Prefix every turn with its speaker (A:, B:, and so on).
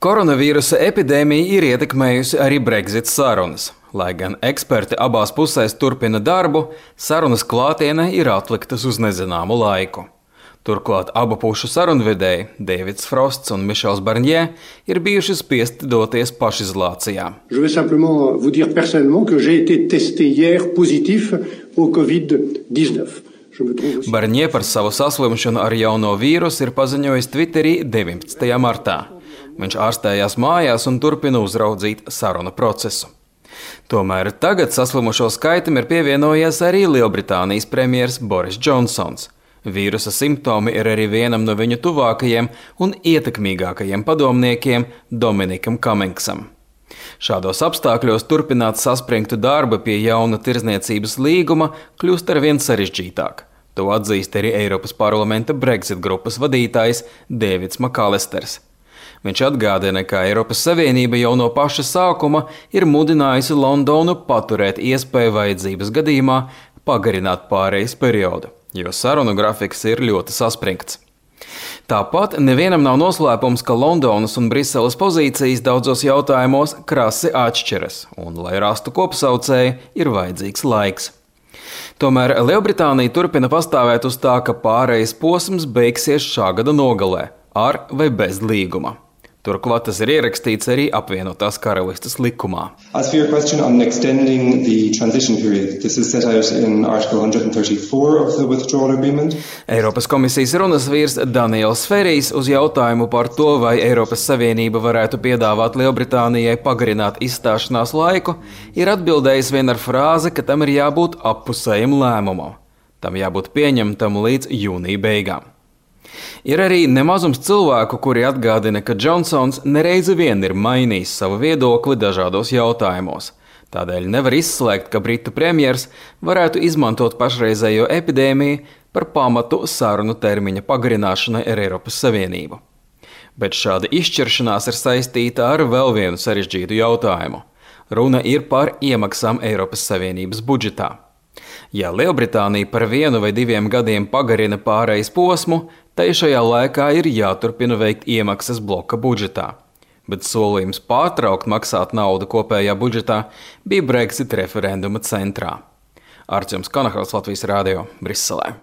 A: Koronavīrusa epidēmija ir ietekmējusi arī Brexit sarunas. Lai gan eksperti abās pusēs turpina darbu, sarunas klātienē ir atliktas uz nezināmu laiku. Turklāt abu pušu sarunvedēji, Davids Frosts un Michels Barnier, ir bijuši spiesti doties pašizolācijā.
B: Je veux simplement vous dire personnellement que j'ai été testé hier positif au Covid-19.
A: Barnier par savu saslimšanu ar jauno vīrusu ir paziņojis Twitterī 19. martā. Viņš ārstējās mājās un turpina uzraudzīt sarunu procesu. Tomēr tagad saslimušo skaitam ir pievienojies arī Lielbritānijas premjers Boris Džonsons. Vīrusa simptomi ir arī vienam no viņu tuvākajiem un ietekmīgākajiem padomniekiem Dominikam Cummingsam. Šādos apstākļos turpināt saspringtu darbu pie jauna tirdzniecības līguma kļūst arvien sarežģītāk. To atzīst arī Eiropas parlamenta Brexit grupas vadītājs Davids McAllisters. Viņš atgādina, ka Eiropas Savienība jau no paša sākuma ir mudinājusi Londonu paturēt iespēju vajadzības gadījumā pagarināt pārejas periodu, jo sarunu grafiks ir ļoti saspringts. Tāpat nevienam nav noslēpums, ka Londonas un Briseles pozīcijas daudzos jautājumos krasi atšķiras, un, lai rastu kopsaucēju, ir vajadzīgs laiks. Tomēr Lielbritānija turpina pastāvēt uz tā, ka pārejas posms beigsies šā gada nogalē, ar vai bez līguma. Turklāt tas ir ierakstīts arī apvienotās karalistes likumā.
C: As for your question on extending the transition period, this is set out in Article 134 of the Withdrawal Agreement.
A: Eiropas komisijas runas vīrs Daniels Ferijs uz jautājumu par to, vai Eiropas Savienība varētu piedāvāt Lielbritānijai pagarināt izstāšanās laiku, ir atbildējis vien ar frāzi, ka tam ir jābūt appusējam lēmumam. Tam jābūt pieņemtam līdz jūnija beigām. Ir arī nemazums cilvēku, kuri atgādina, ka Džonsons nereizi vien ir mainījis savu viedokli dažādos jautājumos. Tādēļ nevar izslēgt, ka Britu premjers varētu izmantot pašreizējo epidēmiju par pamatu sarunu termiņa pagarināšanai ar Eiropas Savienību. Bet šāda izšķiršanās ir saistīta ar vēl vienu sarežģītu jautājumu. Runa ir par iemaksām Eiropas Savienības budžetā. Ja Lielbritānija par 1 vai 2 gadiem pagarina pārejas posmu, tai šajā laikā ir jāturpina veikt iemaksas bloka budžetā. Bet solījums pārtraukt maksāt naudu kopējā budžetā bija Brexit referenduma centrā. Artjoms Kanahals, Latvijas radio, Briselē.